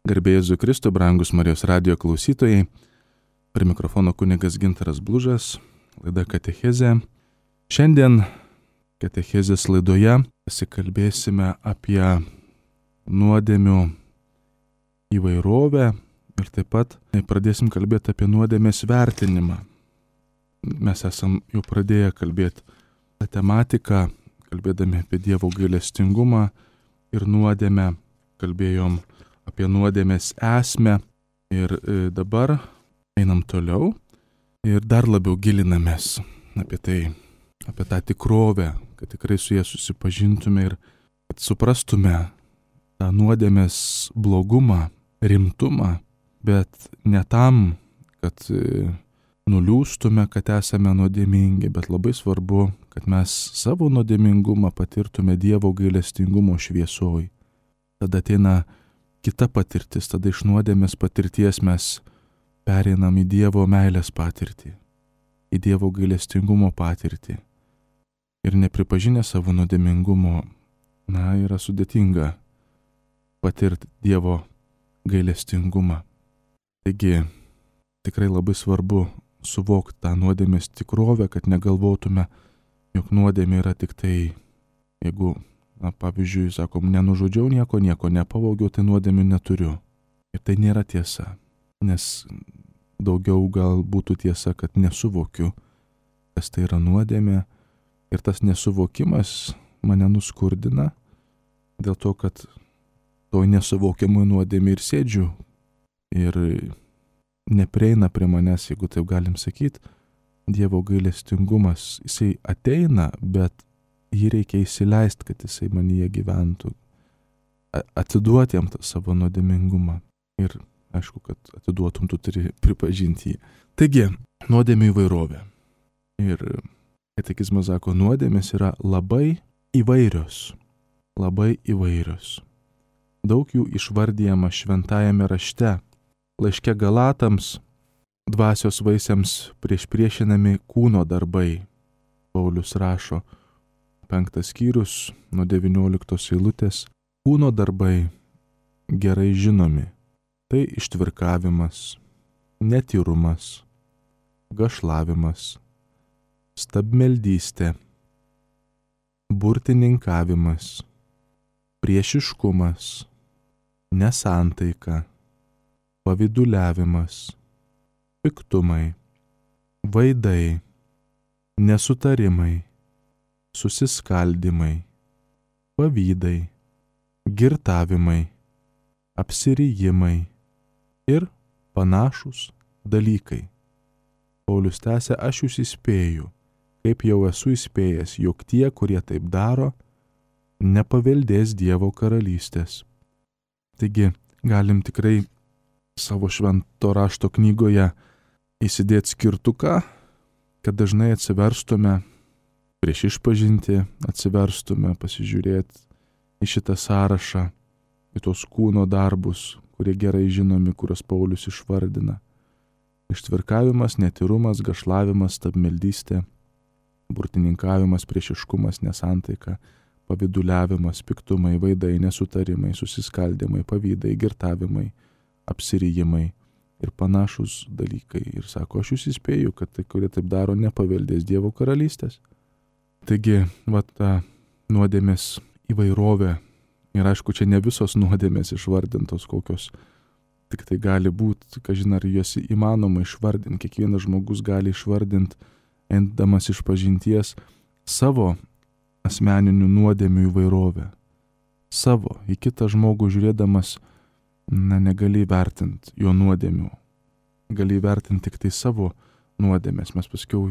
Garbė Jėzui Kristui, brangus Marijos radijo klausytojai. Prie mikrofono kunigas Gintaras Blužas, laida Katechezė. Šiandien Katechezės laidoje pasikalbėsime apie nuodėmių įvairovę ir taip pat pradėsim kalbėti apie nuodėmės vertinimą. Mes esam jau pradėję kalbėti tą tematiką, kalbėdami apie Dievo gailestingumą ir nuodėmę, kalbėjom apie nuodėmės esmę ir dabar einam toliau ir dar labiau gilinamės apie tą tikrovę, kad tikrai su ja susipažintume ir kad suprastume tą nuodėmės blogumą, rimtumą, bet ne tam, kad nuliūstume, kad esame nuodėmingi, bet labai svarbu, kad mes savo nuodėmingumą patirtume Dievo gailestingumo šviesoj. Tada ateina kita patirtis, tada iš nuodėmės patirties mes pereinam į Dievo meilės patirtį, į Dievo gailestingumo patirtį. Ir nepripažinę savo nuodėmingumo, yra sudėtinga patirti Dievo gailestingumą. Taigi, tikrai labai svarbu suvokti tą nuodėmės tikrovę, kad negalvotume, jog nuodėmė yra tik tai, jeigu pavyzdžiui, sakom, nenužudžiau nieko nepavogiau, tai nuodėmių neturiu. Ir tai nėra tiesa, nes daugiau gal būtų tiesa, kad nesuvokiu, kas tai yra nuodėmė. Ir tas nesuvokimas mane nuskurdina, dėl to, kad toj nesuvokiamoj nuodėmė ir sėdžiu. Ir neprieina prie manęs, jeigu taip galim sakyti, Dievo gailestingumas. Jisai ateina, bet jį reikia įsileisti, kad jisai manyje gyventų, atiduoti jam tą savo nuodėmingumą. Ir aišku, kad atiduotum, tu turi pripažinti jį. Taigi, nuodėmių įvairovė. Ir katekizmas sako, nuodėmės yra labai įvairios. Labai įvairios. Daug jų išvardyjama šventajame rašte. Laiške Galatams dvasios vaisiams priešinami kūno darbai. Paulius rašo, 5 skyrius nuo 19 eilutės. Kūno darbai gerai žinomi. Tai ištvirkavimas, netyrumas, gašlavimas, stabmeldystė, burtininkavimas, priešiškumas, nesantaika, pavyduliavimas, piktumai, vaidai, nesutarimai, susiskaldimai, pavydai, girtavimai, apsirijimai ir panašūs dalykai. Paulius tęsia, aš jūs įspėju, kaip jau esu įspėjęs, jog tie, kurie taip daro, nepaveldės Dievo karalystės. Taigi, galim tikrai savo švento rašto knygoje įsidėti skirtuką, kad dažnai atsiverstume prieš išpažinti, atsiverstume, pasižiūrėti į šitą sąrašą, į tos kūno darbus, kurie gerai žinomi, kuriuos Paulius išvardina. Ištvirkavimas, netyrumas, gašlavimas, stabmeldystė, burtininkavimas, priešiškumas, nesantaika, pavyduliavimas, piktumai, vaidai, nesutarimai, susiskaldimai, pavydai, girtavimai, apsirijimai ir panašūs dalykai. Ir sako, aš jūs įspėju, kad tai, kurie taip daro, nepaveldės Dievo karalystės. Taigi, ta nuodėmės įvairovė. Ir aišku, čia ne visos nuodėmės išvardintos, kokios tik tai gali būti, kažin ar jos įmanoma išvardinti. Kiekvienas žmogus gali išvardinti, eindamas išpažinties, savo asmeninių nuodėmių įvairovę. Savo, į kitą žmogų žiūrėdamas, negali vertinti jo nuodėmių. Gali vertinti tik tai savo nuodėmės. Mes paskiau,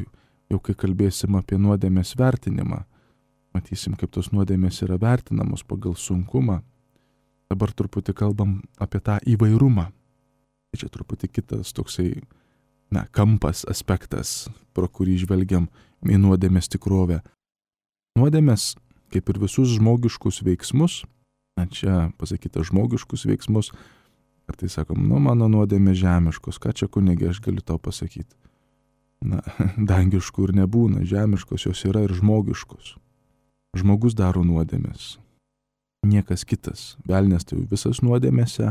jau kai kalbėsim apie nuodėmės vertinimą, matysim, kaip tos nuodėmės yra vertinamos pagal sunkumą. Dabar truputį kalbam apie tą įvairumą. Tai čia truputį kitas toksai, kampas, aspektas, pro kurį žvelgiam į nuodėmės tikrovę. Nuodėmės, kaip ir visus žmogiškus veiksmus, čia pasakyta žmogiškus veiksmus, kartais sakom, mano nuodėmės žemiškos, ką čia kunigė aš galiu tau pasakyti. Dangiškų ir nebūna, žemiškos jos yra ir žmogiškos. Žmogus daro nuodėmės, niekas kitas. Velnias tai visas nuodėmėse,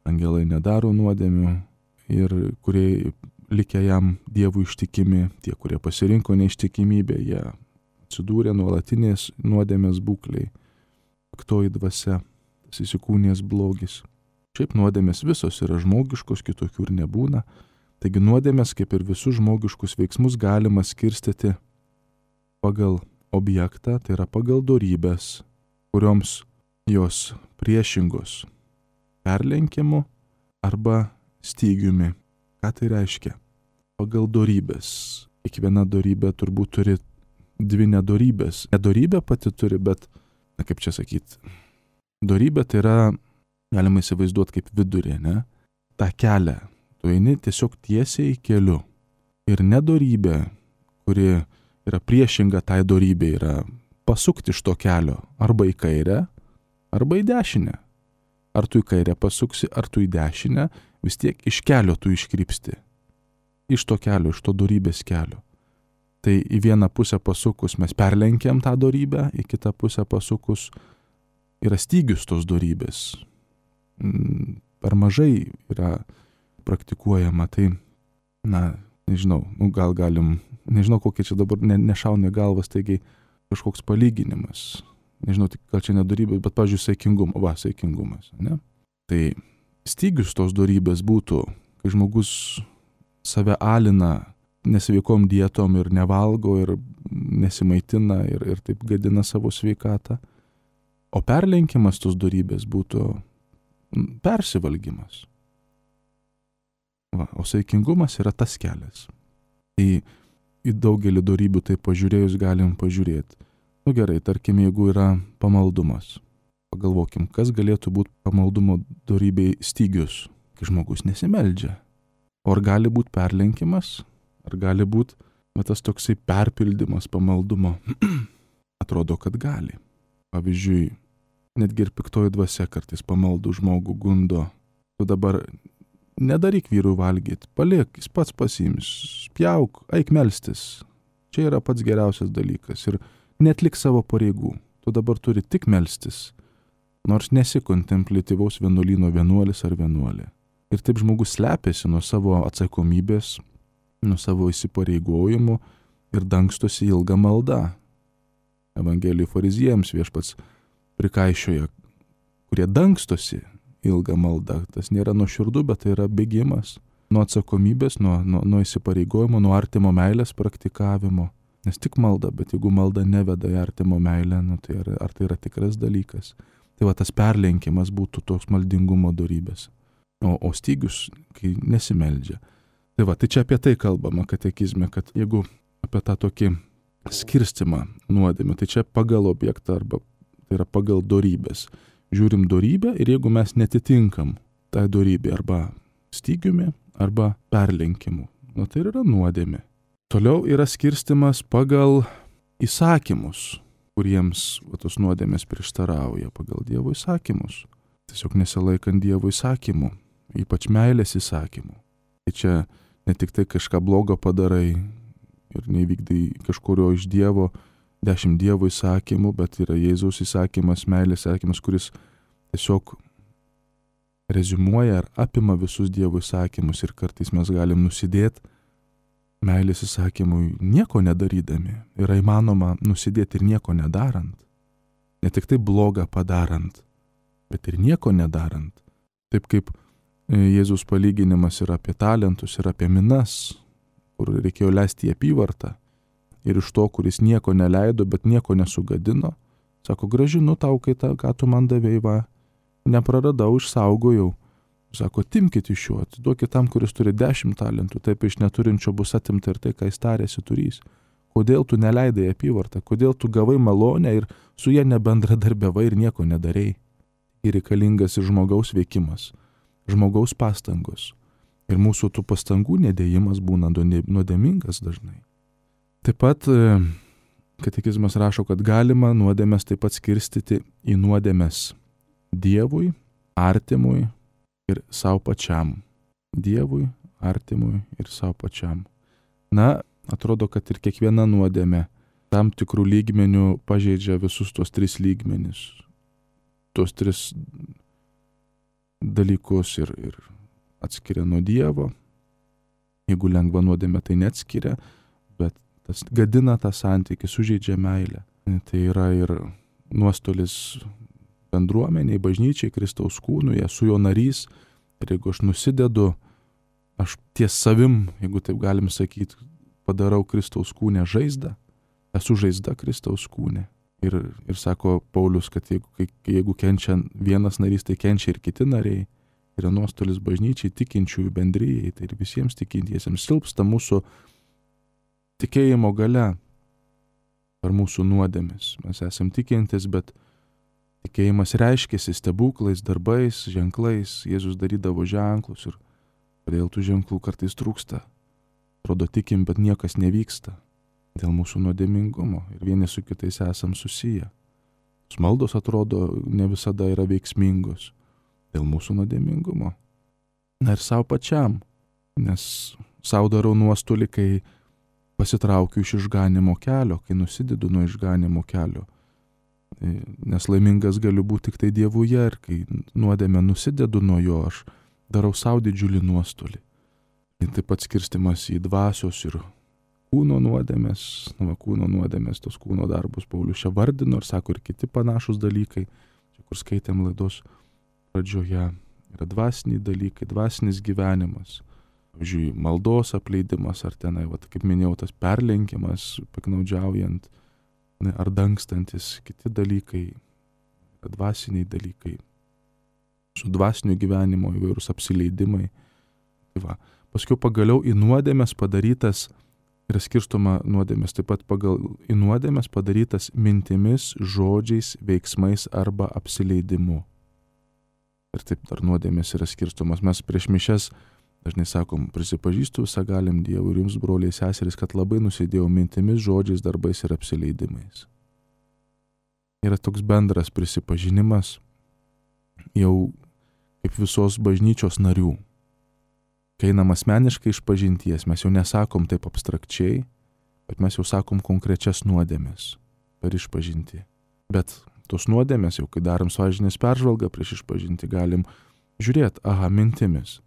angelai nedaro nuodėmių ir kurie likę jam Dievui ištikimi, tie, kurie pasirinko neištikimybę, jie atsidūrė nuolatinės nuodėmės būkliai, piktoji dvasia, tas įsikūnijęs blogis. Šiaip nuodėmės visos yra žmogiškos, kitokių ir nebūna. Taigi nuodėmės, kaip ir visus žmogiškus veiksmus, galima skirstyti pagal objektą, tai yra pagal dorybės, kurioms jos priešingos perlenkimu arba stygiumi. Ką tai reiškia? Pagal dorybės. Kiekviena dorybė turbūt turi dvi nedorybės. Nedorybė pati turi, bet, kaip čia sakyti, dorybė tai yra, galima įsivaizduoti kaip vidurė, ne? Ta kelią. Tu eini tiesiog tiesiai keliu. Ir nedorybė, kuri yra priešinga tai dorybė, yra pasukti iš to kelio arba į kairę, arba į dešinę. Ar tu į kairę pasuksi, ar tu į dešinę, vis tiek iš kelio tu iškrypsti. Iš to kelio, iš to dorybės kelio. Tai į vieną pusę pasukus mes perlenkiam tą dorybę, į kitą pusę pasukus yra stygius tos dorybės. Per mažai yra praktikuojama, tai, nežinau, gal galim, nežinau, kokie čia dabar nešauna į galvas, taigi kažkoks palyginimas. Nežinau, gal čia nedorybė, bet, pavyzdžiui, saikingumas, ne? Tai stygius tos dorybės būtų, kai žmogus save alina nesveikom dietom ir nevalgo ir nesimaitina ir taip gadina savo sveikatą. O perlenkimas tos dorybės būtų persivalgymas. O saikingumas yra tas kelias. Į daugelį dorybių tai pažiūrėjus galim pažiūrėti. Gerai, tarkim, jeigu yra pamaldumas. Pagalvokim, kas galėtų būti pamaldumo dorybei stygius, kai žmogus nesimeldžia. O ar gali būti perlenkimas? Ar gali būti tas toksai perpildymas pamaldumo? Atrodo, kad gali. Pavyzdžiui, netgi ir piktoji dvasia kartais pamaldų žmogų gundo. Tu dabar nedaryk vyrui valgyti, paliek, jis pats pasiims, spjauk, eik melstis. Čia yra pats geriausias dalykas ir netlik savo pareigų. Tu dabar turi tik melstis, nors nesi kontempliatyvaus vienuolyno vienuolis ar vienuolė. Ir taip žmogus slepiasi nuo savo atsakomybės, nuo savo įsipareigojimų ir dangstosi ilgą maldą. Evangelijų fariziejams viešpats prikaišioja, kurie dangstosi ilgą maldą. Tas nėra nuoširdu, bet tai yra bėgimas nuo atsakomybės, nuo įsipareigojimo, nuo artimo meilės praktikavimo. Nes tik malda, bet jeigu malda neveda į artimo meilę, tai ar tai yra tikras dalykas? Tai tas perlenkimas būtų toks maldingumo dorybės. O stygius, kai nesimeldžia. Tai čia apie tai kalbama katekizme, kad jeigu apie tą tokį skirstimą nuodėmę, tai čia pagal objektą arba tai yra pagal dorybės. Žiūrim dorybę ir jeigu mes netitinkam tai dorybė arba stygiumi, arba perlenkimu, tai yra nuodėmė. Toliau yra skirstimas pagal įsakymus, kuriems tos nuodėmės prieštarauja, pagal Dievo įsakymus. Tiesiog nesilaikant Dievo įsakymų, ypač meilės įsakymų. Tai čia ne tik tai kažką blogo padarai ir neįvykdai kažkurio iš Dievo 10 Dievo įsakymų, bet yra Jėzaus įsakymas, meilės įsakymas, kuris tiesiog reziumuoja ar apima visus Dievo įsakymus ir kartais mes galim nusidėti meilės įsakymui nieko nedarydami. Yra įmanoma nusidėti ir nieko nedarant. Ne tik tai blogą padarant, bet ir nieko nedarant. Taip kaip Jėzus palyginimas yra apie talentus ir apie minas, kur reikėjo leisti į apyvartą. Ir iš to, kuris nieko neleido, bet nieko nesugadino, sako, grąžinu tau, ką tu man davei, nepraradau, išsaugojau. Sako, timkit iš jo, atiduokit tam, kuris turi 10 talentų, taip iš neturinčio bus atimta ir tai, ką jis tarėsi turys. Kodėl tu neleidai apyvartą, kodėl tu gavai malonę ir su ja nebendradarbiavai ir nieko nedarei. Ir reikalingas ir žmogaus veikimas, žmogaus pastangos. Ir mūsų tų pastangų nedėjimas būna nuodėmingas dažnai. Taip pat katekizmas rašo, kad galima nuodėmes taip pat skirstyti į nuodėmes Dievui, artimui ir savo pačiam. Dievui, artimui ir savo pačiam. Atrodo, kad ir kiekviena nuodėmė tam tikrų lygmenių pažeidžia visus tos 3 lygmenis. Tos 3 dalykus ir atskiria nuo Dievo. Jeigu lengva nuodėmė, tai neatskiria, bet tas gadina tą santykį, sužeidžia meilę. Tai yra ir nuostolis bendruomeniai, bažnyčiai, Kristaus kūnui, esu jo narys. Ir jeigu aš nusidedu, aš ties savim, jeigu taip galim sakyti, padarau Kristaus kūnę žaizdą, esu žaizda Kristaus kūnė. Ir sako Paulius, kad jeigu kenčia vienas narys, tai kenčia ir kiti nariai. Yra nuostolis bažnyčiai, tikinčiųjų bendrijai, tai ir visiems tikintiesiems silpsta mūsų tikėjimo galia ar mūsų nuodėmis. Mes esam tikintis, bet tikėjimas reiškėsi stebuklais, darbais, ženklais. Jėzus darydavo ženklus ir kodėl tų ženklų kartais trūksta. Atrodo tikim, bet niekas nevyksta dėl mūsų nuodėmingumo ir vieni su kitais esam susiję. Maldos atrodo ne visada yra veiksmingos dėl mūsų nuodėmingumo. Na ir savo pačiam, nes savo darau nuostolį, kai pasitraukiu iš išganimo kelio, kai nusidedu nuo išganimo kelio. Nes laimingas galiu būti tik tai Dievuje ir kai nuodėmę nusidedu nuo jo, aš darau savo didžiulį nuostolį. Ir taip pat skirstimas į dvasios ir kūno nuodėmės, kūno nuodėmės, tos kūno darbus Paulius čia vardino ir sako ir kiti panašus dalykai, čia kur skaitėm laidos pradžioje, yra dvasiniai dalykai, dvasinis gyvenimas, pavyzdžiui, maldos apleidimas ar tenai, kaip minėjau, tas perlenkimas, piknaudžiaujant ar dangstantis, kiti dalykai, dvasiniai dalykai, su dvasiniu gyvenimo įvairūs apsileidimai. Tai va. Paskui pagaliau į nuodėmės padarytas, yra skirstoma nuodėmės, taip pat pagal į nuodėmės padarytas mintimis, žodžiais, veiksmais arba apsileidimu. Ir taip dar nuodėmės yra skirstomas. Mes prieš mišias dažnai sakom, prisipažįstu visagalim Dievui ir jums, broliai seserys, kad labai nusidėjau mintimis, žodžiais, darbais ir apsileidimais. Yra toks bendras prisipažinimas jau kaip visos bažnyčios narių. Kai einam asmeniškai iš pažinties, mes jau nesakom taip abstrakčiai, bet mes jau sakom konkrečias nuodėmes per išpažintį. Bet tos nuodėmės, jau kai darom sąžinės peržvalgą prieš išpažintį, galim žiūrėti, mintimis.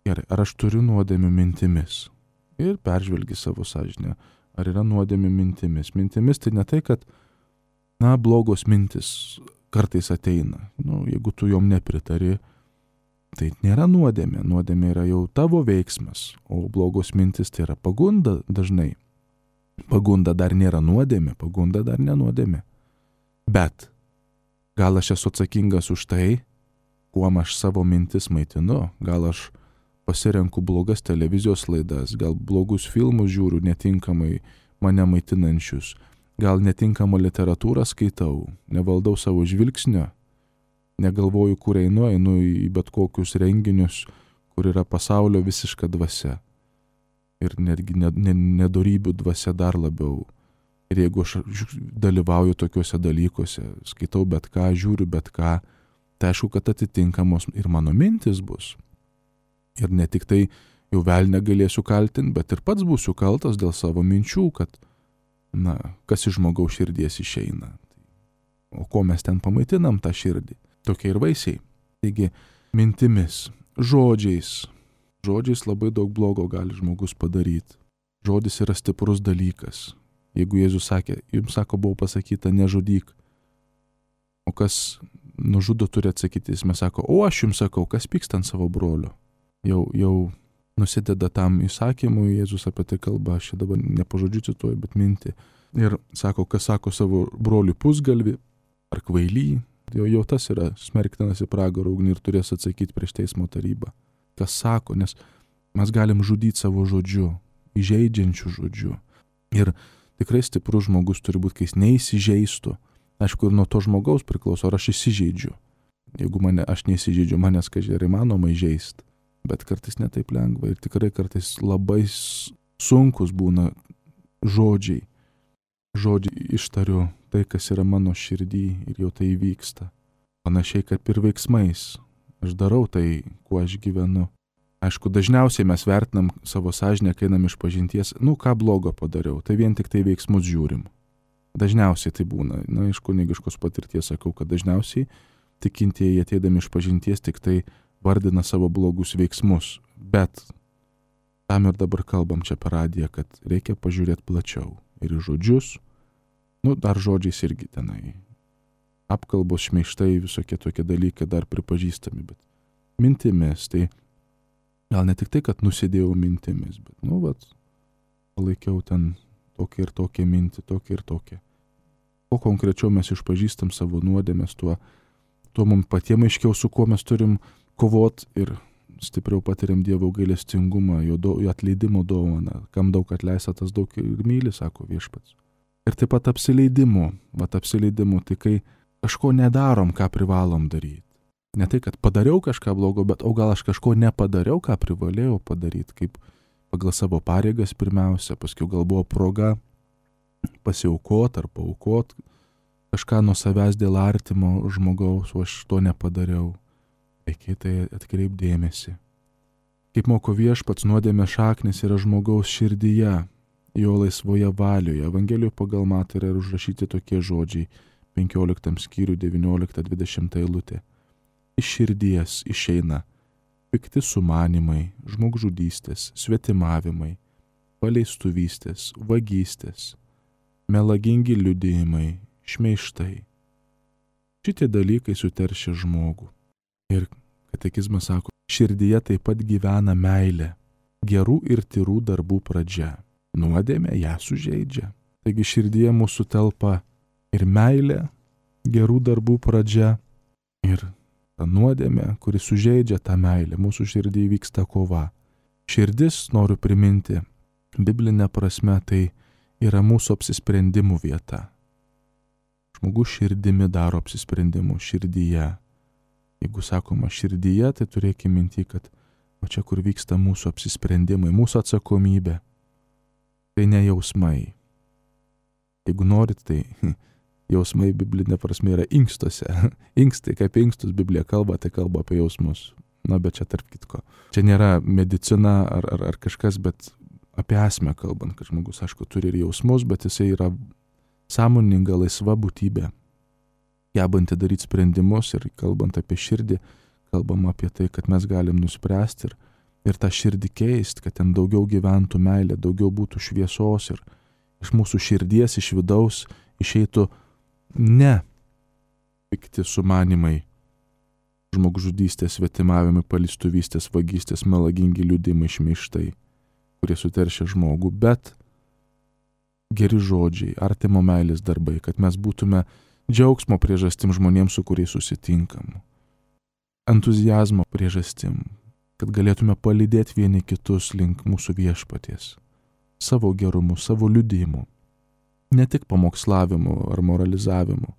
Gerai, ar aš turiu nuodėmių mintimis? Ir peržvelgi savo sąžinę. Ar yra nuodėmių mintimis? Mintimis tai ne tai, kad, blogos mintis kartais ateina. Jeigu tu jom nepritari, tai nėra nuodėmė. Nuodėmė yra jau tavo veiksmas, o blogos mintis tai yra pagunda dažnai. Pagunda dar nėra nuodėmė, pagunda dar nenuodėmė. Bet gal aš esu atsakingas už tai, kuom aš savo mintis maitinu, gal aš pasirenku blogas televizijos laidas, gal blogus filmus žiūriu netinkamai mane maitinančius, gal netinkamą literatūrą skaitau, nevaldau savo žvilgsnio, negalvoju, kur einu į bet kokius renginius, kur yra pasaulio visiška dvasia ir netgi nedorybių dvasia dar labiau. Ir jeigu aš dalyvauju tokiuose dalykuose, skaitau bet ką, žiūriu bet ką, tai aišku, kad atitinkamos ir mano mintis bus. Ir ne tik tai jau velnę galėsiu kaltinti, bet ir pats būsiu kaltas dėl savo minčių, kad, kas iš žmogaus širdies išeina. O ko mes ten pamaitinam tą širdį? Tokie ir vaisiai. Taigi, mintimis, žodžiais. Žodžiais labai daug blogo gali žmogus padaryti. Žodis yra stiprus dalykas. Jeigu Jėzus sakė, jums buvo pasakyta, nežudyk. O kas nužudo turi atsakyti, jis mes sako, o aš jums sakau, kas pyksta ant savo brolio. Jau nusideda tam įsakymui, Jėzus apie tai kalba, aš dabar ne po žodžiu cituoju, bet mintį. Ir sako, kas sako savo broliui pusgalvį ar kvailį, jau tas yra smerktinas į pragaro ugnį ir turės atsakyti prieš teismo tarybą. Kas sako, nes mes galim žudyti savo žodžiu, įžeidžiančių žodžiu. Ir tikrai stiprus žmogus turi būti, kai jis neįsižeistų. Aišku, ir nuo to žmogaus priklauso, ar aš įsižeidžiu. Jeigu aš neįsižeidžiu, manęs kažkai įmanoma įžeisti. Bet kartais netaip lengva ir tikrai kartais labai sunkus būna žodžiai. Žodžiai ištariu tai, kas yra mano širdį ir jau tai įvyksta. Panašiai, kad ir veiksmais. Aš darau tai, kuo aš gyvenu. Aišku, dažniausiai mes vertinam savo sąžinę, kai einam iš pažinties, ką blogo padariau, tai vien tik tai veiksmus žiūrim. Dažniausiai tai būna. Iš kunigiškos patirties sakau, kad dažniausiai tikintieji ateidami iš pažinties tik tai vardina savo blogus veiksmus. Bet tam ir dabar kalbam čia per radiją, kad reikia pažiūrėti plačiau. Ir į žodžius, dar žodžiais irgi tenai. Apkalbos, šmeižtai, visokie tokie dalykai dar pripažįstami, bet mintimis, tai gal ne tik tai, kad nusidėjau mintimis, bet, palaikiau ten tokią ir tokią mintį, tokią ir tokią. Kuo konkrečiau mes išpažįstam savo nuodėmes, tuo mums patiems aiškiau, su kuo mes turim kovot ir stipriau patiriam Dievo gailestingumą, jo atleidimo dovaną. Kam daug atleista, tas daug ir myli, sako Viešpats. Ir taip pat apsileidimu, tai kai kažko nedarom, ką privalom daryti. Ne tai, kad padariau kažką blogo, bet o gal aš kažko nepadariau, ką privalėjau padaryti, kaip pagal savo pareigas pirmiausia, paskui gal buvo proga pasiaukot ar paaukot kažką nuo savęs dėl artimo žmogaus, o aš to nepadariau. Reikia tai atkreipdėmėsi. Kaip moko Viešpats, nuodėmės šaknis yra žmogaus širdyje, jo laisvoje valioje. Evangelijoje pagal Matą yra užrašyti tokie žodžiai 15 skyrių 19-20 eilutė. Iš širdies išeina pikti sumanimai, žmogžudystės, svetimavimai, paleistuvystės, vagystės, melagingi liudijimai, šmeižtai. Šitie dalykai suteršia žmogų. Ir katekizmas sako, širdyje taip pat gyvena meilė, gerų ir tyrų darbų pradžia. Nuodėmė ją sužeidžia. Taigi širdyje mūsų telpa ir meilė, gerų darbų pradžia, ir ta nuodėmė, kuri sužeidžia tą meilę. Mūsų širdyje vyksta kova. Širdis, noriu priminti, biblinė prasme, tai yra mūsų apsisprendimų vieta. Žmogus širdimi daro apsisprendimų širdyje. Jeigu sakoma širdyje, tai turėkime minti, kad o čia kur vyksta mūsų apsisprendimai, mūsų atsakomybė. Tai ne jausmai. Jeigu norit, tai jausmai biblinė prasme yra inkstuose. Inkstai, kaip inkstus Biblija kalba, tai kalba apie jausmus. Bet čia tarp kitko. Čia nėra medicina ar kažkas, bet apie esmę kalbant, kad žmogus, aišku, turi ir jausmus, bet jisai yra sąmoninga, laisva būtybė, gebanti daryti sprendimus. Ir kalbant apie širdį, kalbam apie tai, kad mes galim nuspręsti ir tą širdį keisti, kad ten daugiau gyventų meilė, daugiau būtų šviesos ir iš mūsų širdies, iš vidaus išeitų ne pikti sumanimai, žmogžudystės, svetimavimai, paleistuvystės, vagystės, melagingi liudijimai, šmeižtai, kurie suteršia žmogų, bet geri žodžiai, artimo meilės darbai, kad mes būtume džiaugsmo priežastim žmonėms, su kuriais susitinkam, entuziazmo priežastim, kad galėtume palydėti vieni kitus link mūsų Viešpaties, savo gerumu, savo liudijimu, ne tik pamokslavimu ar moralizavimu,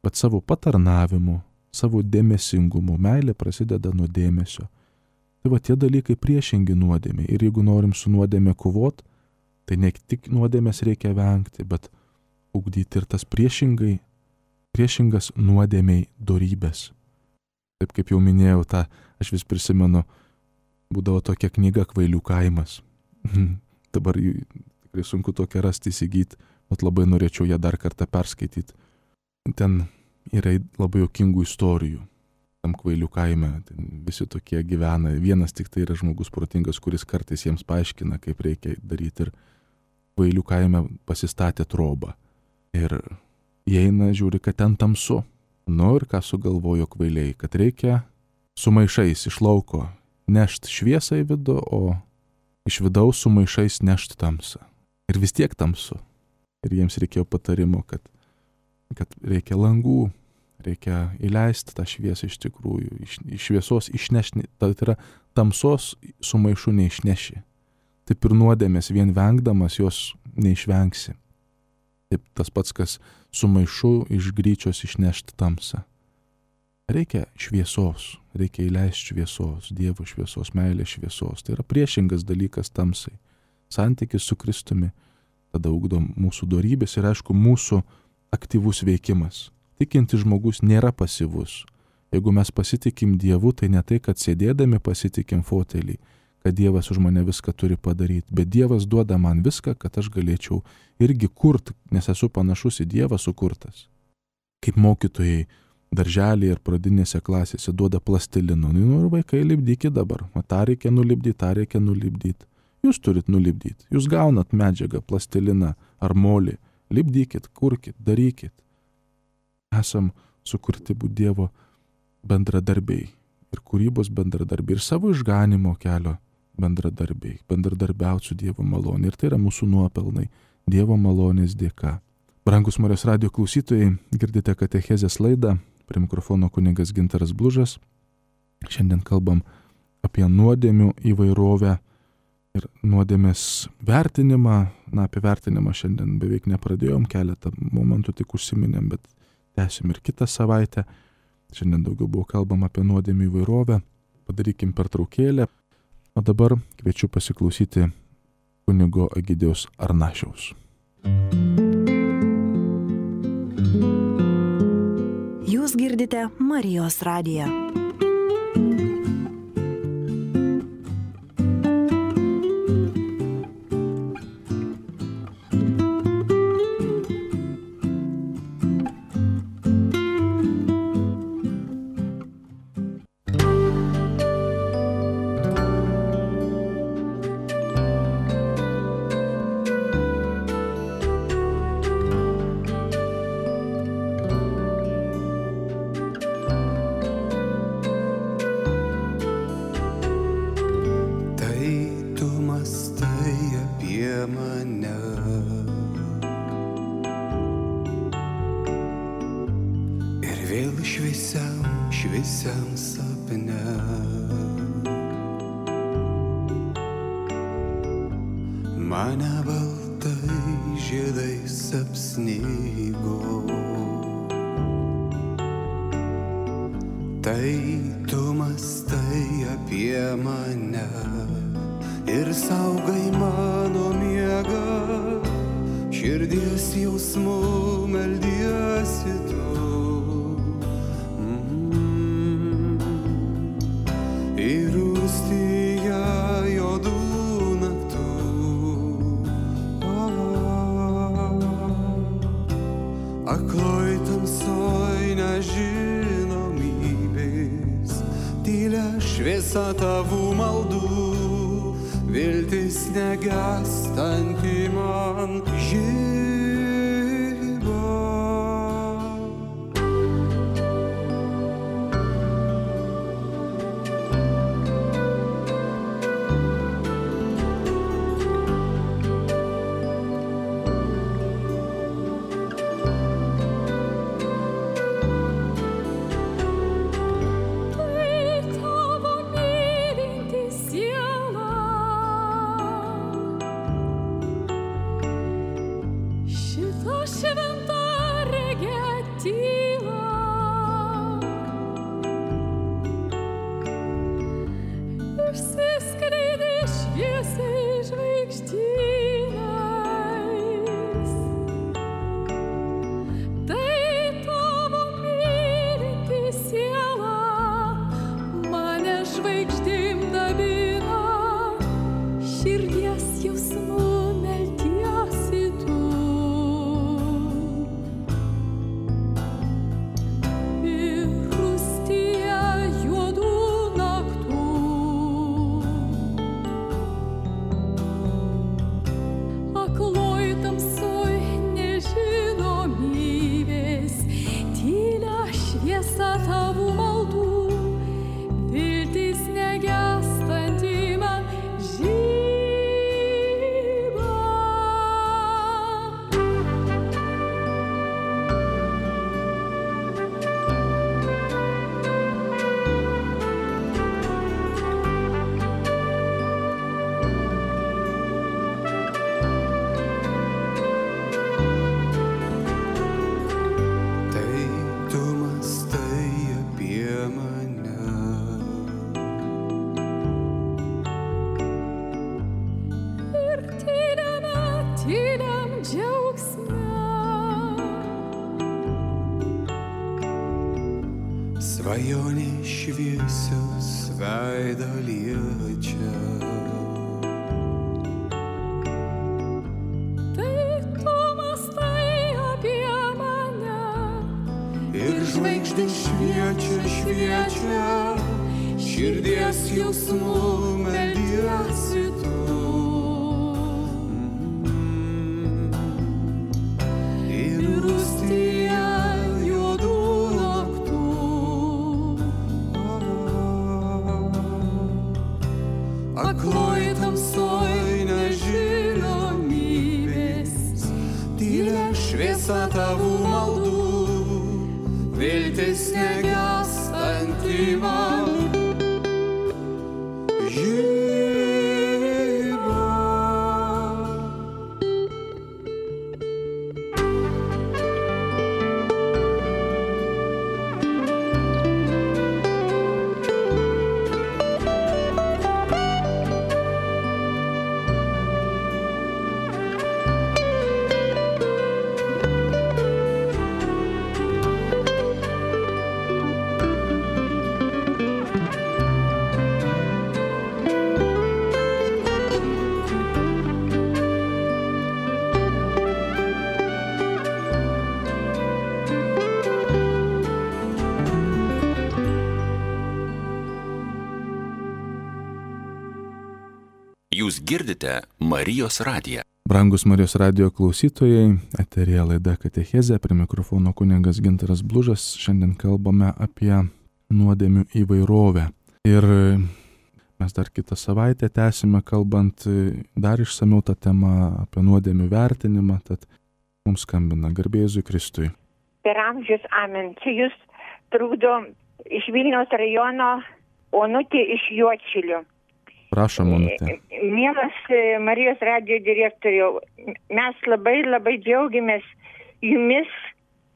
bet savo patarnavimu, savo dėmesingumu. Meilė prasideda nuo dėmesio. Tai tie dalykai priešingi nuodėmė. Ir jeigu norim su nuodėmė kovot, tai ne tik nuodėmės reikia vengti, bet ugdyti ir tas priešingas nuodėmei dorybės. Taip kaip jau minėjau, aš vis prisimenu, būdavo tokia knyga Kvailių kaimas. Dabar tikrai sunku tokią rasti, įsigyti, bet labai norėčiau ją dar kartą perskaityti. Ten yra labai juokingų istorijų. Tam Kvailių kaime visi tokie gyvena. Vienas tik tai yra žmogus protingas, kuris kartais jiems paaiškina, kaip reikia daryti. Ir Kvailių kaime pasistatė trobą. Ir jie eina, žiūri, kad ten tamsu. Ir ką sugalvojo kvailiai, kad reikia su maišais iš lauko nešti šviesą į vidų, o iš vidaus su maišais nešti tamsą. Ir vis tiek tamsu. Ir jiems reikėjo patarimo, kad reikia langų, reikia įleisti tą šviesą iš tikrųjų, iš šviesos išnešti, tai yra tamsos su maišu neišneši. Taip ir nuodėmės vien vengdamas jos neišvengsi. Taip tas pats, kas su maišu iš gryčios išnešti tamsą. Reikia šviesos, reikia įleisti šviesos, Dievo šviesos, meilės šviesos. Tai yra priešingas dalykas tamsai. Santykis su Kristumi tada ugdo mūsų dorybės ir aišku mūsų aktyvus veikimas. Tikintis žmogus nėra pasyvus. Jeigu mes pasitikim Dievu, tai ne tai, kad sėdėdami pasitikim fotelį, kad Dievas už mane viską turi padaryti, bet Dievas duoda man viską, kad aš galėčiau irgi kurti, nes esu panašus į Dievą sukurtas. Kaip mokytojai darželėje ir pradinėse klasėse duoda plastilino. Nu ir vaikai, lipdykit dabar. O tą reikia nulipdyti. Jūs turit nulipdyti. Jūs gaunat medžiagą, plastiliną ar molį. Lipdykit, kurkit, darykit. Esam sukurti būti Dievo bendradarbiai. Ir kūrybos bendradarbiai. Ir savo išganimo kelio bendradarbiai. Bendradarbiauti su Dievo malonė. Ir tai yra mūsų nuopelnai. Dievo malonės dėka. Brangus Marijos radijo klausytojai, girdite katechezės laidą. Prie mikrofono kunigas Gintaras Blužas. Šiandien kalbam apie nuodėmių įvairovę ir nuodėmės vertinimą. Na, apie vertinimą šiandien beveik nepradėjom, keletą momentų tik užsiminėm, bet tęsim ir kitą savaitę. Šiandien daugiau buvo kalbama apie nuodėmių įvairovę. Padarykim pertraukėlę. O dabar kviečiu pasiklausyti kunigo Egidijaus Arnašiaus. Jūs girdite Marijos radiją. Šviesiam sapne mane baltai žiedais apsnigo. Tai tu mąstai apie mane ir saugai mano miegą, širdies jausmų meldiesi tu. Ir rūstyje juodų naktų akloj tamsoj nežinomybės tylia šviesa tavų maldų, viltis negęstanti man žiba. Svajonė šviesios veidą liečia. Tai tu mąstai apie mane ir žvaigždės dvasia, širdies jausmų meldiesi tu. Ir rūstyje juodų naktų, akloj tamsoj nežinomybės, tylia šviesa tavų maldų, viltis negęstanti man. Jūs girdite Marijos radiją. Brangus Marijos radijo klausytojai, eteryje laida Katechezė, prie mikrofono kunigas Gintaras Blužas. Šiandien kalbame apie nuodėmių įvairovę. Ir mes dar kitą savaitę tęsime kalbant dar išsamiau tą temą apie nuodėmių vertinimą, tad mums skambina garbė Jėzui Kristui. Per amžius amen. Čia jūs trukdo iš Vilniaus rajono Onutė iš Juodšilių. Prašom, Onutė. Mielas Marijos radijo direktoriau, mes labai džiaugiamės jumis,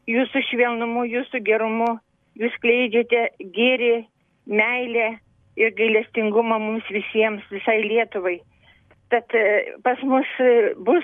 jūsų švelnumu, jūsų gerumu. Jūs skleidžiate gėrį, meilę ir gailestingumą mums visiems, visai Lietuvai. Tad pas mus bus,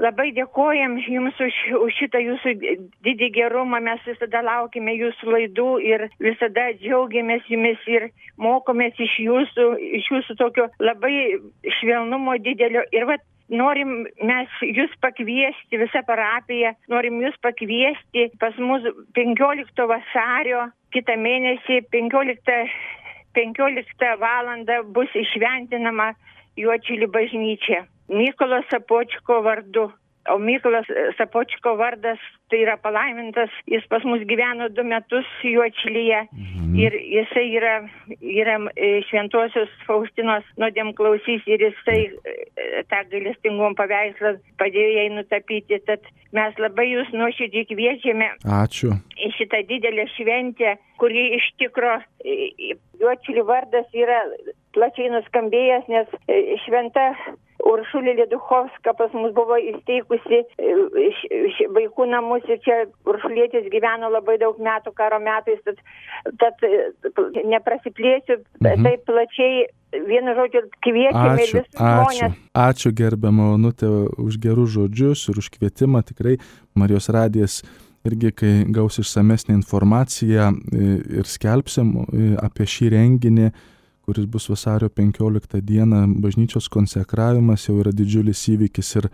labai dėkojam jums už šitą jūsų didį gerumą. Mes visada laukime jūsų laidų ir visada džiaugiamės jumis ir mokomės iš jūsų tokio labai švelnumo didelio. Ir norim mes jūs pakviesti, visą parapiją, norim jūs pakviesti pas mus 15 vasario, kitą mėnesį 15 valandą bus išventinama Juodšilių bažnyčia. Mykolo Sapočko vardu. O Mykolas Sapočko vardas tai yra palaimintas. Jis pas mus gyveno 2 metus Juodšilyje. Ir jisai yra šventosios Faustinos nuodėmklausys ir jisai tą gailestingumo paveikslą padėjo jai nutapyti. Tad mes labai jūs nuoširdžiai kviečiame. Ačiū. Į šitą didelę šventę, kuri iš tikro Juodšilių vardas yra plačiai nuskambėjęs, nes šventa Uršulė Lieduchovska pas mus buvo įsteigusi vaikų namus ir čia Uršulėtis gyveno labai daug metų karo metais, tad neprasiplėsiu taip plačiai, vienu žodžiu kviečiame visus žmonės. Ačiū gerbiama Onutė už gerus žodžius ir už kvietimą. Tikrai Marijos radijas irgi, kai gaus išsamesnę informaciją ir skelbsim apie šį renginį, kuris bus vasario 15 dieną, bažnyčios konsekravimas jau yra didžiulis įvykis ir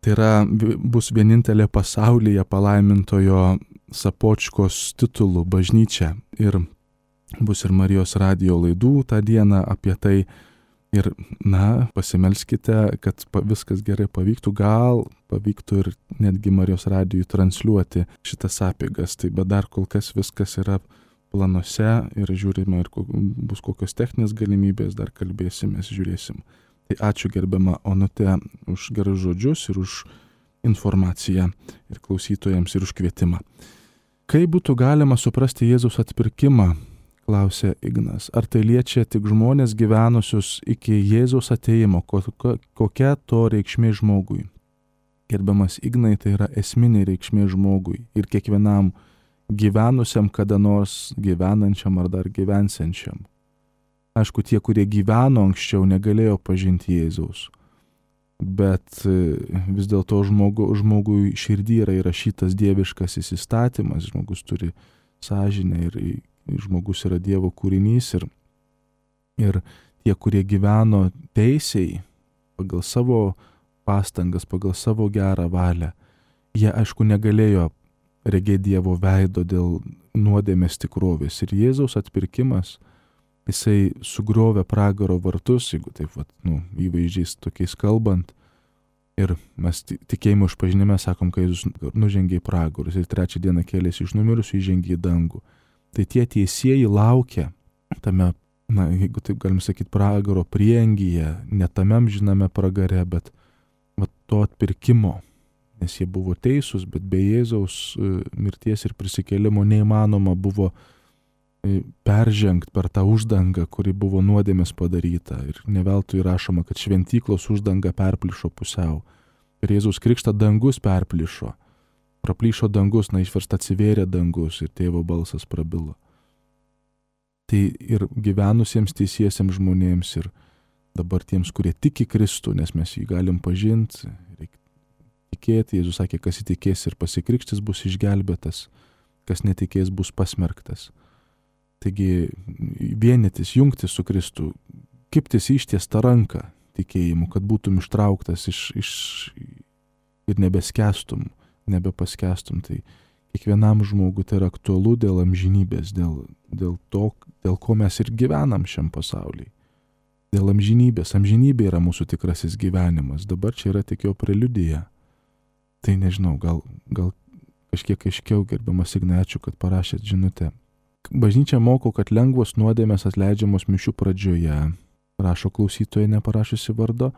tai bus vienintelė pasaulyje palaimintojo Sapočkos titulų bažnyčia. Ir bus ir Marijos radijo laidų tą dieną apie tai. Ir, pasimelskite, kad viskas gerai pavyktų, gal pavyktų ir netgi Marijos radijui transliuoti šitas apeigas. Tai bet dar kol kas viskas yra planuose ir žiūrime, ir bus kokios techninės galimybės, dar kalbėsimės, žiūrėsim. Tai ačiū gerbiama Onutė už gerus žodžius ir už informaciją ir klausytojams ir už kvietimą. Kaip būtų galima suprasti Jėzaus atpirkimą, klausė Ignas. Ar tai liečia tik žmonės gyvenusius iki Jėzaus atėjimo? Kokia to reikšmė žmogui? Gerbiamas Ignai, tai yra esminė reikšmė žmogui ir kiekvienam gyvenusiam kada nors, gyvenančiam ar dar gyvensiančiam. Aišku, tie, kurie gyveno anksčiau, negalėjo pažinti Jėzaus. Bet vis dėlto žmogui širdį yra įrašytas dieviškas įstatymas, žmogus turi sąžinę ir žmogus yra Dievo kūrinys ir tie, kurie gyveno teisiai pagal savo pastangas, pagal savo gerą valią, jie aišku negalėjo regėti Dievo veido dėl nuodėmės tikrovės. Ir Jėzaus atpirkimas, jisai sugriovė pragaro vartus, jeigu taip įvaizdžiais tokiais kalbant. Ir mes tikėjimo išpažinime sakom, kai Jėzus nužengė į pragarus ir 3 dieną kėlėsi iš numirusių, įžengė į dangų. Tai tie teisieji laukia tame, jeigu taip galim sakyti, pragaro prieangyje, ne tame amžiname pragare, bet to atpirkimo. Nes jie buvo teisūs, bet be Jėzaus mirties ir prisikėlimo neįmanoma buvo peržengti per tą uždangą, kuri buvo nuodėmės padaryta. Ir ne veltui rašoma, kad šventyklos uždanga perplyšo pusiau. Ir Jėzaus krikštą dangus perplyšo. Praplyšo dangus, išversta atsivėrė dangus ir tėvo balsas prabilo. Tai ir gyvenusiems teisiesiems žmonėms ir dabar tiems, kurie tiki Kristų, nes mes jį galim pažinti, reikia tikėti. Jėzus sakė, kas įtikės ir pasikrikštis bus išgelbėtas, kas netikės bus pasmerktas. Taigi vienytis, jungtis su Kristu, kibtis ištiestą ranką tikėjimu, kad būtum ištrauktas ir nebeskęstum, nebepaskęstum. Tai kiekvienam žmogui tai yra aktualu dėl amžinybės, dėl to, dėl ko mes ir gyvenam šiam pasaulyje. Dėl amžinybės. Amžinybė yra mūsų tikrasis gyvenimas. Dabar čia yra tik jo preliudija. Tai nežinau, gal kažkiek aiškiau, gerbiamas Ignai, ačiū, kad parašėt žinutę. Bažnyčia moko, kad lengvos nuodėmės atleidžiamos mišių pradžioje, rašo klausytoja neparašiusi vardo.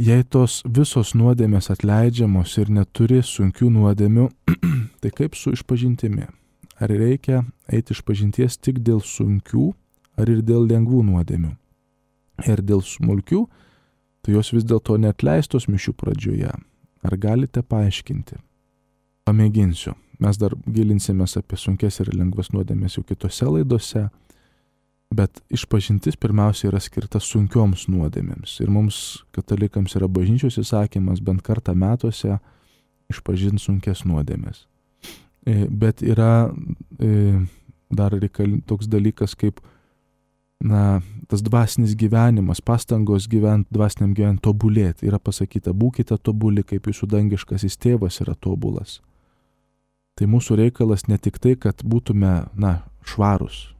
Jei tos visos nuodėmės atleidžiamos ir neturi sunkių nuodėmių, tai kaip su išpažintimi? Ar reikia eiti išpažinties tik dėl sunkių, ar ir dėl lengvų nuodėmių? Ir dėl smulkių, tai jos vis dėlto neatleistos mišių pradžioje. Ar galite paaiškinti? Pamėginsiu. Mes dar gilinsimės apie sunkes ir lengvas nuodėmės jau kitose laidose, bet išpažintis pirmiausia yra skirta sunkioms nuodėmėms. Ir mums, katalikams, yra bažnyčios įsakymas bent kartą metuose išpažinti sunkes nuodėmės. Bet yra dar toks dalykas kaip tas dvasinis gyvenimas, pastangos gyventi, dvasiniam gyventi, tobulėti. Yra pasakyta, būkite tobuli, kaip jūsų dangiškasis tėvas yra tobulas. Tai mūsų reikalas ne tik tai, kad būtume, švarus,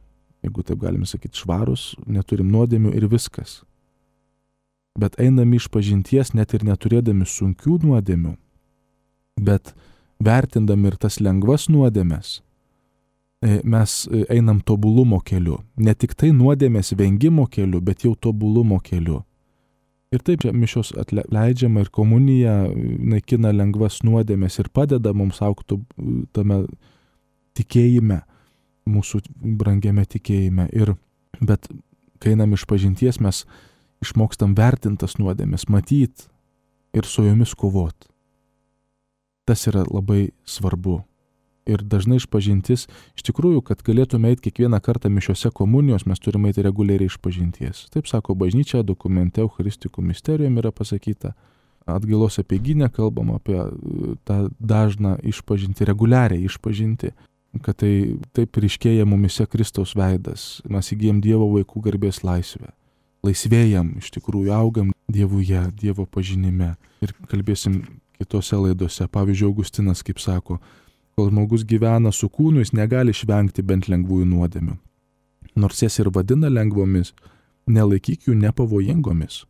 jeigu taip galime sakyti, švarus, neturim nuodėmių ir viskas. Bet einami išpažinties, net ir neturėdami sunkių nuodėmių, bet vertindami ir tas lengvas nuodėmes, mes einam tobulumo keliu. Ne tik tai nuodėmės vengimo keliu, bet jau tobulumo keliu. Ir taip mišios atleidžiama ir komunija naikina lengvas nuodėmės ir padeda mums augti tame tikėjime, mūsų brangiame tikėjime. Bet kai einam išpažinties, mes išmokstam vertintas nuodėmės, matyti ir su jomis kovoti. Tas yra labai svarbu. Ir dažnai išpažintis, iš tikrųjų, kad galėtume eiti kiekvieną kartą mišiose komunijos, mes turime eiti reguliariai išpažinties. Taip sako bažnyčia, dokumente Eucharistikų misterijom yra pasakyta. Atgailos apeigyne kalbam apie tą dažną išpažinti, reguliariai išpažinti, kad tai taip ryškėja mumise Kristaus veidas. Mes įgyjam Dievo vaikų garbės laisvę. Laisvėjam, iš tikrųjų, augam Dievuje, Dievo pažinime. Ir kalbėsim kitose laidose. Pavyzdžiui, Augustinas, kaip sako, kol žmogus gyvena su kūnu, jis negali išvengti bent lengvųjų nuodėmių. Nors jas ir vadina lengvomis, nelaikyk jų nepavojingomis.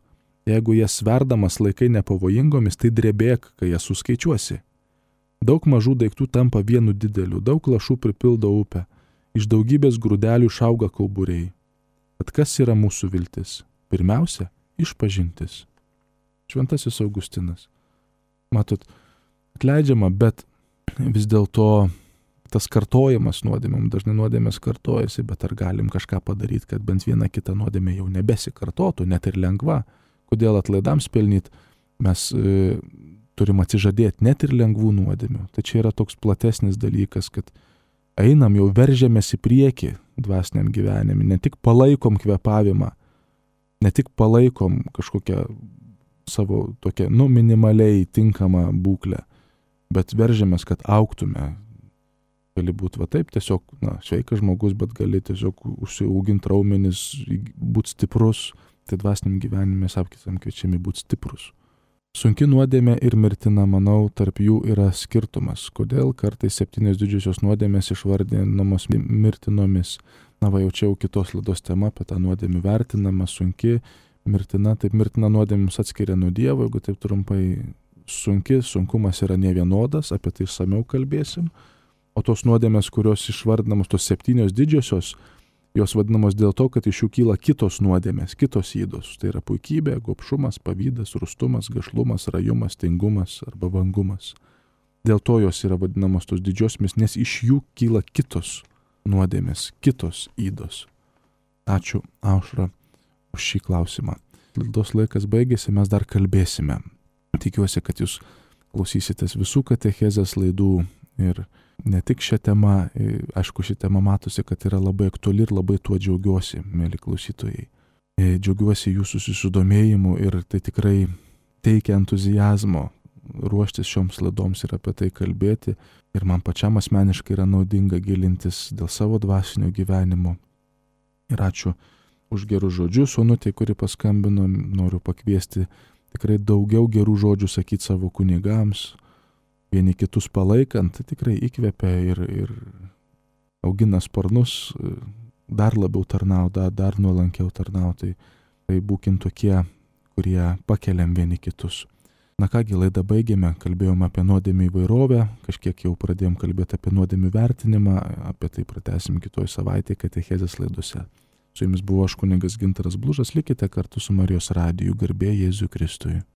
Jeigu jas sverdamas laikai nepavojingomis, tai drebėk, kai jas suskaičiuosi. Daug mažų daiktų tampa vienu dideliu, daug lašų pripildo upę, iš daugybės grūdelių išauga kauburiai. Tad kas yra mūsų viltis? Pirmiausia, išpažintis. Šventasis Augustinas. Matot, atleidžiama, bet vis dėlto tas kartojimas nuodėmėm, dažnai nuodėmės kartojasi, bet ar galim kažką padaryti, kad bent viena kita nuodėmė jau nebesikartotų, net ir lengva. Kodėl atlaidams pelnyti, mes turim atsižadėti net ir lengvų nuodėmių. Tai čia yra toks platesnis dalykas, kad einam, jau veržiamės į priekį dvasiniam gyvenime, ne tik palaikom kvėpavimą, ne tik palaikom kažkokią savo tokią, minimaliai tinkamą būklę, bet veržiamės, kad augtume. Gali būti taip, tiesiog, sveikas žmogus, bet gali tiesiog užsiauginti raumenis, būti stiprus. Tai dvasiniam gyvenime mes apkitam kviečiami būti stiprus. Sunki nuodėmė ir mirtina, manau, tarp jų yra skirtumas. Kodėl kartais 7 didžiosios nuodėmės išvardinamos mirtinomis? Na, va, jau čia jau kitos laidos tema apie tą nuodėmę vertinama, sunki, mirtina. Taip, mirtina nuodėmė mus atskiria nuo Dievo, jeigu taip trumpai, sunkumas yra nevienodas, apie tai išsamiau kalbėsim. O tos nuodėmės, kurios išvardinamos, tos 7 didžiosios, jos vadinamos dėl to, kad iš jų kyla kitos nuodėmės, kitos ydos. Tai yra puikybė, gobšumas, pavydas, rūstumas, gašlumas, rajumas, tingumas arba vangumas. Dėl to jos yra vadinamos tos didžiosiomis, nes iš jų kyla kitos nuodėmės, kitos ydos. Ačiū, Aušra, už šį klausimą. Laidos laikas baigėsi, mes dar kalbėsime. Tikiuosi, kad jūs klausysitės visų katechezės laidų ir ne tik šią temą, aišku, ši tema matosi, kad yra labai aktuali ir labai tuo džiaugiuosi, mėly klausytojai. Džiaugiuosi jūsų susidomėjimu ir tai tikrai teikia entuzijazmo ruoštis šioms laidoms ir apie tai kalbėti. Ir man pačiam asmeniškai yra naudinga gilintis dėl savo dvasinio gyvenimo. Ir ačiū už gerus žodžius, Onutė, kuri paskambino, noriu pakviesti tikrai daugiau gerų žodžių sakyti savo kunigams, vieni kitus palaikant, tai tikrai įkvepia ir augina sparnus, dar labiau tarnauti, dar nuolankiau tarnauti. Tai būkim tokie, kurie pakeliam vieni kitus. Na kągi, laidą baigėme, kalbėjome apie nuodėmių įvairovę, kažkiek jau pradėjom kalbėti apie nuodėmių vertinimą, apie tai pratęsim kitoj savaitėje katechezės laidose. Su jumis buvo aš kunigas Gintaras Blužas, likite kartu su Marijos radiju, garbė Jėzui Kristui.